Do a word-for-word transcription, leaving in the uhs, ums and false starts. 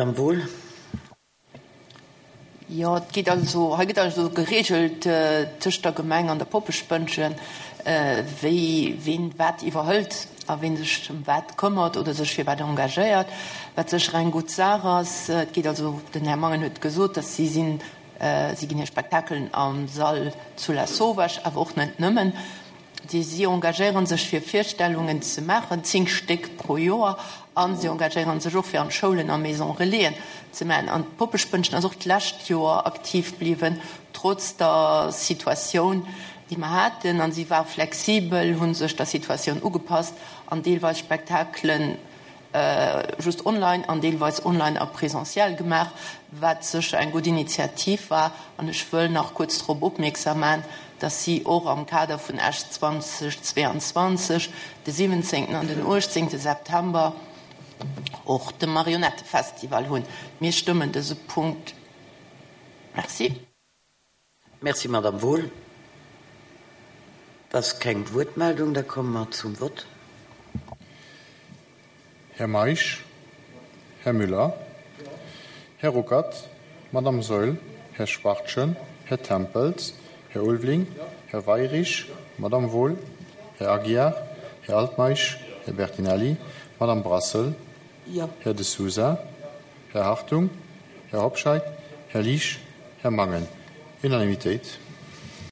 Madame Wohl. Jo, et geet also, hei gëtt also geregelt tëscht der Gemeng an der Poppespënnchen, wéi ween wat iwwerhëlt a ween sech ëm wat këmmert oder sech fir wat engagéiert, wat sécher eng gutt Saach ass. Et geet also, den Här Mangen huet gesot, dass si sinn, si ginn hir Spektakelen am Sall zu Lasauvage, awer och net nëmmen. Déi si engagéiere sech fir Virstellungen ze maachen, zéng Stéck pro Joer, a si engagéiere sech och fir an d'Schoulen a Maison Relaisen ze maachen. An d'Poppespënnchen ass och d'lescht Joer aktiv bliwwen, trotz der Situatioun, déi mer haten. A si war flexibel, hu sech der Situatioun ugepasst an deelweis Spektakelen just online an deelweis online a presentiel gemaach, wat sécher eng gutt Initiativ war. An ech wëll nach kuerz drop opmierksam maachen, dass si och am Kader vun Esch zweitausendzweiundzwanzeg de siwwenzéngten an den uechtzéngte September och de Marionettefestival hunn. Mir stëmmen dëse Punkt. Merci. Merci, Madame Wohl. Dat ass keng Wuertmeldung, da komme mer zum Vott. Här Meisch, Här Müller, Här Ruckert, Madame Saeul, Här Schwachtgen, Här Tempels, Här Ulveling, Här Weyrich, Madame Wohl, Här Aguiar, Här Altmeisch, Här Bertinelli, Madame Brassel, Här De Sousa, Här Hartung, Här Hobscheit, Här Liesch, Här Mangen. Unanimitéit.